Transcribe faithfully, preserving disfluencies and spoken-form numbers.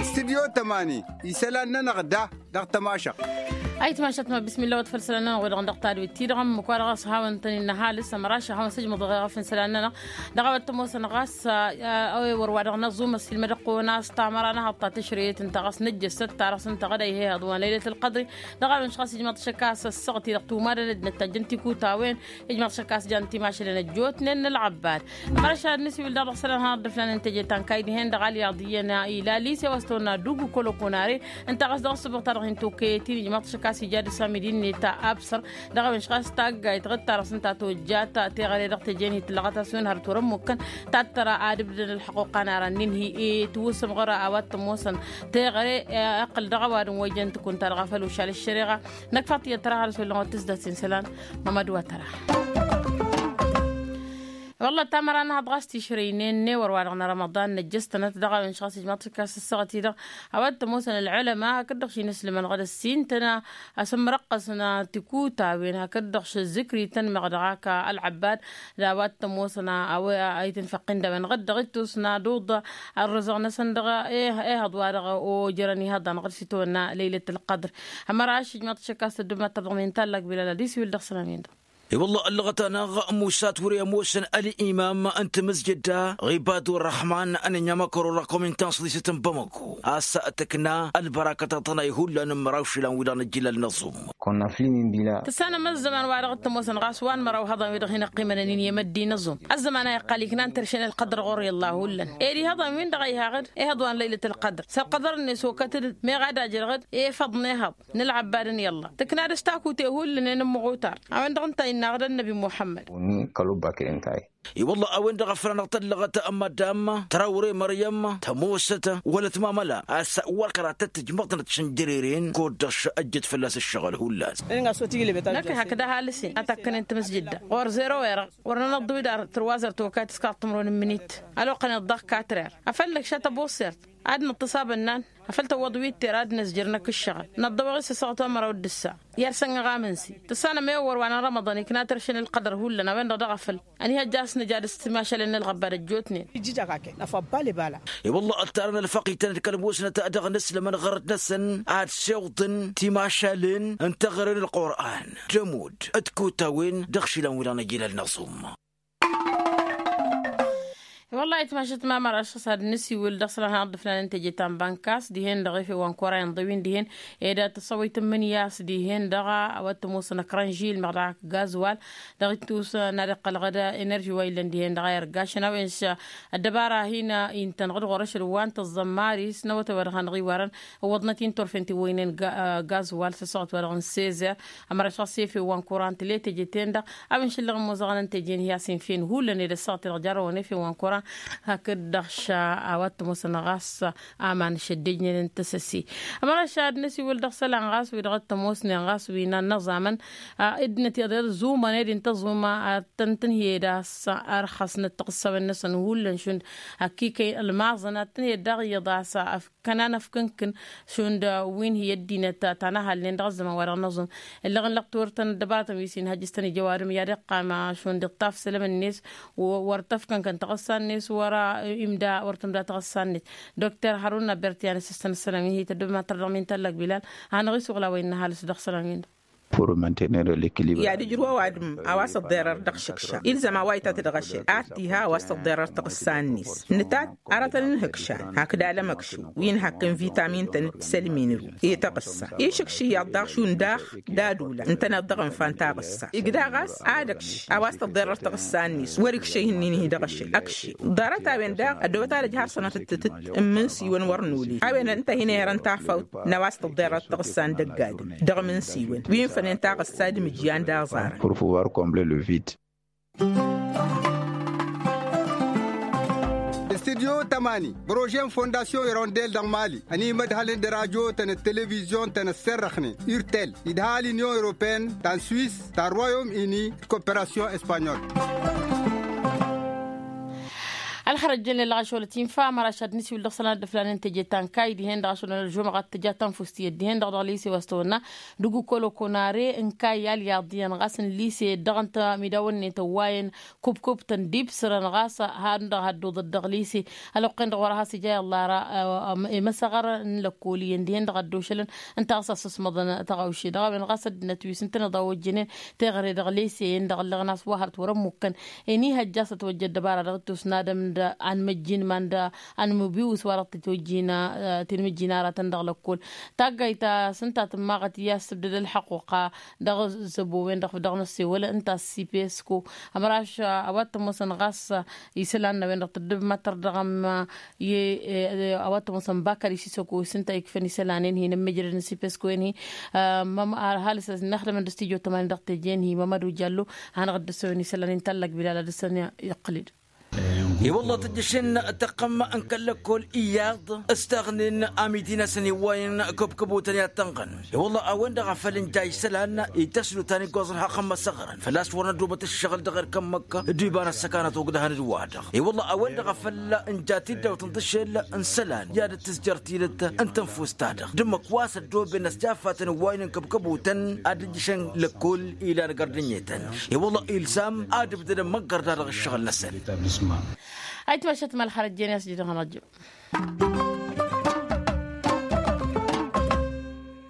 Stidyo tămani isălan-nănăɣ da dăɣ-tămašăɣt. Ayǝtmašăɣt ma bismillah wăt făll-isălan-nănăɣ wi-dăɣ n-dăɣ-tadwit-ti-dăɣ ǝmmǝk wa dăɣ-s hawăn-tăn-innă ăhalǝs ămăraš ad-hawăn-sǝjmăḍ ɣef isălan-nănăɣ. Dăɣ-a-wa t-ămoosăn ɣas a-wa e wăr wa dăɣ-năẓum ăssiilmăd ăqqo n-ass tamăra n-ehăḍ ta tǝšrăyet ǝnta ɣas nǝjjăssăt ta dăɣ-s ǝnta ɣǝd a ih'-e ehăḍ wa n-lăylet ălqăḍri. Dăɣ-a-wen šăɣas ijmaḍ-t šăkk a-s ăssaɣăt-i-dăɣ tumadăn ăddinăt ta jăn tikutawen. Ijmaḍ-t šăkk a-s jan timašalen ăjjootnen n-ălɣăbbad. Ămăraš ad-nǝsiwǝl daɣ dăɣ-isălan hanăɣ-dd-ăfnanăn teje ta n-kayy dihen-dăɣ alyaḍ iyyăn ila lise wa s-tăwănna dugg kăl-okănare. Ǝnta ɣas dăɣ-ăssǝbăɣ ta dăɣ-hin-tokăyăt-in ijmaḍ-t šăkk a-s ija d-ăsamid-in-net absăr. Dăɣ-a-wen šăkk a-s taggayt ɣǝd ta dăɣ-s ǝnta tojjat teɣăre dăɣ-teje n-hi-tǝllăɣăt a-s wen hărăt wăr-ămmukkăn. Tattăra ad-ǝbdǝdăn ălḥăqquq a n-ara n-inhi i-tiwǝsǝm ɣur-a wa t-ămoosăn teɣăre. Ăqqǝl dăɣ-ăwadǝm wa ijăn tǝkunt-ta-dăɣ a făl ušal ăššăreɣa. Năkk faḍt iyyăt tăra har s-wăllăn wa t-tǝzdat s-insălan. Mămăd wa tăra. Wălla tamăra n-ehăḍ ɣas tišrăynen n-ewăr wa dăɣ-nărămăḍan năjjăs-tănăt dăɣ-a-wen šăɣ-s ijmaḍ-t šăkk a-s ăssaɣăt-i-dăɣ. A-wa t-ămoosăn ălɣălăma hakd-dăɣ šinǝslǝmăn ɣǝd ăssin-tăn. Asǝmmărăqqăsăn tikutawen hakd-dăɣ šǝzzǝkri tăn-măɣ dăɣ-ak ălɣăbbad. D-a-wa t-ămoosăn a-wa itǝnfăqqin d-a-wen ɣǝd-dăɣ ittusna d-uḍa. Ărrăzăɣ-năsăn dăɣ-ehăḍ wa dăɣ-ojărăn ihăḍan ɣǝd s-itwănna lăylăt ălqăḍr. Ămăraš ijmaḍ-t šăkk a-s tăddǝm ad-tărdăɣ min tallak bilal ad-isiwǝl dăɣ-isălan-win-dăɣ. I-wălla ăllăɣăt-anăɣ musa ture ămoosăn ălimam n-tamǝzjădda ɣibadu ărrăhman n-ănɲamăkăro dăɣ-komintăn săḍisăt n-bamăko a-s tǝkna ălbărakăt a tănay hullan n-măraw išilan-wi-dăɣ n-ăjjǝlal n-aẓum. Tǝssanăm ăzzăman wa dăɣ-t ămoosăn ɣas wa n-măraw ihăḍan-wi-dăɣ hin-ăqqimănăn-in i-măddin aẓum. Ăzzăman a iqqal ikna n-terše n-ălqădăr ɣur-i ălla hullan ed ihăḍan-win-dăɣ a iha ɣǝd ihăḍ wa n-lăylăt ălqădăr s-ălqădăr-net okăt-dd meɣ ad-ajrăɣ-dd efăḍ n-ehăḍ n-ălɣăbbad n-i-ălla tǝkna dăɣ-s takute hullan i-inǝmmăɣ utar. A-wen-dăɣ ǝnta a innă aɣǝd ănnăbi muḥămmăd. I-wălla a-wen-dăɣ a făl anăɣ-tăllăɣăt măddam tărawre măryăm tămoosăt wălăt mamăla a-s wăr kărattăt tǝjmăḍnăt šănjăreren kud-dăɣ ăjjăt fălla-s ǝššăɣǝl hullan. Năkk hakd ăhalǝs-in ad-takkănen tamǝsjǝdda ɣur-zero erăɣ wăr nănăḍḍǝw-dd ar tărwazărt okayăt s-kaḍt timǝrwen n-imǝnit. Ăloqăn-dd dăɣ-katrăr afăl năkša tăbuṣṣert ad-năṭṭǝṣ abănnan afăl tăwwăḍ wi t-ter ad-năzjăr năkk ǝššăɣǝl năḍḍăwăɣ-i s-asăɣăt wa n-măraw d-ǝssa. Iyyăr săn ɣamǝnsi tǝssanăm i-wăr wa n-rămăḍan ikna tărše n-ălqădăr hullan a-wen-dăɣ dăɣ-afăl ăniihăjja a-s nǝja d-s timašalen n-ălɣăbbad ăjjootnen. Ijjǝjăɣ-ak-en afăḍḍal ibala. I-wălla ăltarăn ălfăqităn d-kăl-musnăt dăɣ-inǝslămăn ɣărăt-năsăn ad-siwḍǝn timašalen n-teɣăre n-ălqur'an d-ămudd d-kutawen dăɣ-išilan-wi-dăɣ n-ăjilal n-aẓum. Wăllah ayǝtmašăt ma măraš ɣas ad-nǝsiwǝl dăɣ-isălan hanăɣ-dd-ǝfnanăn teje ta n-bankas dihen-dăɣ efew wa n-kora inḍǝw-in dihen ed ad-tăsăwăy tǝmmǝnǝya a-s dihen-dăɣ a-wa t-ămoosăn ăkrăn žilmăɣ dăɣ-ak gazwal. Dăɣ-ittus n-ad-iqqăl ɣǝd enerži wa illăn dihen-dăɣ a irgašăn a-wen ăddăbara hin-intăn ɣǝd ɣur-ašăl wa n-tăẓẓăm maris n-awătay wa dăɣ-hanăɣ-iwarăn. Ǝwwăḍnăt-in turfen tiwăynen gazwal s-ăssaɣăt wa dăɣ-n sezer. Ămăraš ɣas efew wa n-kora n-tǝle teje-ten-dăɣ a-wen šǝllăɣ ămmoẓăɣăn n-teje n-hi-a-s infew hullan ed ăssaɣăt i-dăɣ jarrăwăn efew wa n-kora. Hakd-dăɣ š-a-wa t-ămoosăn ɣas aman šăddejnen n-tăsăse. Ămăraš ad-năsiwǝl dăɣ-isălan ɣas wi dăɣ-t-ămoosnen ɣas wi n-ad-năẓamăn ăddinăt iḍeḍ zumăn ed ǝnta ăẓuma ad-tăn-tǝnhǝyed a-s ărxăsnăt tiɣǝssawen-năsăn hullan šund. Ăkk'-i kăy-ălmaẓăn ad-tǝnhǝyed daɣ iyyăḍ a-s ăfk kănan ăfkǝnkǝn šund wi n-hi-ăddinăt ta n-ăhalnen dăɣ-ăzzăman wa dăɣ-năẓum. Ǝllăɣ n-lăqtor-tăn ăddăbaratăn wi s-inhăjjǝstăn ija ăwadǝm i-ad-iqqam šund iṭṭaf isălăm-net. Wăr tăfkănkăn taɣǝssa-net wăr-imda wăr tǝmda taɣǝssa-net. Dokter haruna bertyan s-ǝssăn isălan wi n-hi-tăddobem ad-tăr dăɣ-min tallak bilal. Hanăɣ-isuɣǝl a-wa innă ăhalǝs dăɣ-isălan-win-dăɣ. I-ad-ǝjrǝw ăwadǝm a-wa s-ăḍḍerăr dăɣ-išǝkša ilzăm a-wa itat dăɣ-ašăl ad-t-iha a-wa s-tăḍḍerăr taɣǝssa-net. Nǝtat arătăn n-ihǝkšan hakd alămăkšǝw wi n-hakkăn vitamin-tăn d-tisălmin-ru i-taɣǝssa išǝkš iyyăḍ daɣ šund daɣ d-ad-ula ǝntăneḍ dăɣ-ǝnfa n-taɣǝssa igda ɣas ad-ǝkš a-wa s-tăḍḍerăr taɣǝssa-net wăr-ikš ihǝnnin-hi dăɣ-ašăl ǝkš. Ḍarăt-a-wen daɣ ăddoobăt ad-ǝj har sănatăt tǝtǝt n-imǝnsi-wăn wăr noli a-wen ǝnta a hin-ehărăn tafăwt n-a-wa s-tăḍḍerăr taɣǝssa n-dăgg-adǝm dăɣ-imǝnsi-wăn wi n-fănen taɣǝssa d-imǝjjan d-aẓarăn. Studyo tămani bărože n-fondasyon irondel dăɣ-mali ănimădhălăn d-radyo-tăn d-televizyon-tăn ăsserrăxnen irtel idha l-inyon europeyăn ta n-swis ta n-royom ini d-koperasyon espanyol. Ălxărăt jănne lăɣăšolăt infa măraš ad-nǝsiwǝl dăɣ-sălan d-ăflanen teje ta n-kayy dihen-dăɣ ašăl ălžumăɣat tǝja tanfust iyyăt dihen-dăɣ dăɣ-lise wa s-tăwănna dăgg-ukoloko n-are n-kayy alyaḍ iyyăn ɣas n-lise dăɣ-ănta midawănnen tăwwayăn kubkub-tăn d-ibsărăn ɣas han-dăɣ hădduḍăt dăɣ-lise. Ălwăqq-en-dăɣ wăr-has ija i-ăllara. Imăsăɣăr n-lăkkol iyyăn dihen-dăɣ ăddošălăn ǝnta ɣas asǝsmăḍăn tăɣawše dăɣ-a-wen ɣas ăddinăt wi s-ǝntăneḍ a ojjănen teɣăre dăɣ-lese-en-dăɣ ǝllăɣ n-a-s wa hărăt wăr-ămmukkăn. Eni hăjja a-s ătwăjja ăddăbara dăɣ-t osnadăm d-anmăjjin ma n-da anmăbiwǝs wa dăɣ-t-tojjina tinmǝjjin aratăn dăɣ-lăkkol. Taggayt ta s-ǝnta tǝmmaɣăt i-ad-sǝbdăd ălḥăqquqa dăɣ-zăbo-wen-dăɣ dăɣ-năssewăl ǝnta s-ipesko. Ămraš a-wa t-ămoosăn ɣas isălan n-a-wen-dăɣ tǝddǝb măttăr dăɣ-ămm i-a-wa t-ămoosăn bakăr isisăko s-ǝnta ikfăn isălan-en-hi n-ămmijrăd n-sipesko-en-hi. Ăhalǝs ad-năxdămăn d-stujo tămani dăɣ-teje-en-hi mămădu jallo. Hanăɣ-dd-ăssăwen isălan-in tallăg bilal ad-dăr-săn iqqǝl-dd. I-wălla tǝjjăšen tăqqăm n-kăl-lăkkol iyyăḍ ǝstaɣnen amidin-asăn iwwayăn kăb-kăbotăn i-ad-tănɣăn. I-wălla a-wen-dăɣ a făl ǝnja isălan ităslu ta n-iggoẓ ălxaqq n-imăsăɣrăn făl-a-s wăr nădobăt ǝššăɣǝl dăɣ-erk ămmăk d-iba n-ăssăkanăt ogdăhăn d-wa-dăɣ. I-wălla a-wen-dăɣ a făl ǝnja tiddawt n-tǝššel n-isălan i-ad-dd-tǝzjăr tidǝt n-tănfust-ta-dăɣ d-ǝmmǝk wa s-ăddooben ăsjaffatăn ǝwwaynen kăb-kăbotăn ad-ǝjjǝšăn lăkkol ilan gărdǝnyetăn. I-wălla ilzam ad-ǝbdădăn măggăr da dăɣ-ǝššăɣǝl-năsăn. Ayǝtmašat ma ălxărăt jen i-a-s jidăɣ hănăɣ-jǝm.